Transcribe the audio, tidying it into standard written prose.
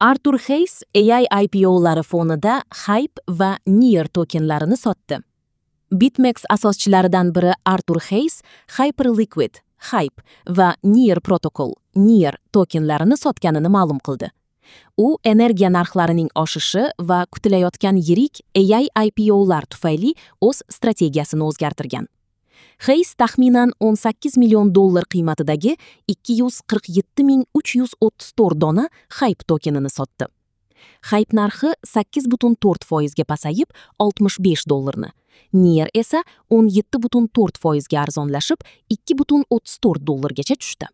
Artur Hayes AI IPO'lari fonida Hype va Near tokenlarini sotdi. BitMEX asoschilaridan biri Artur Hayes Hyperliquid, Hype va Near Protocol, Near tokenlarini sotganini ma'lum qildi. U energiya narxlarining oshishi va kutilayotgan yirik AI IPO'lar tufayli o'z strategiyasini o'zgartirgan. Hayes taxminan 18 million dollar qiymatidagi 247 334 dona Hype tokenini sotdi. Hype narxi 8,4% ga pasayib, 65 dollarni. Near esa 17,4% ga arzonlashib, 2,34 dollargacha tushdi.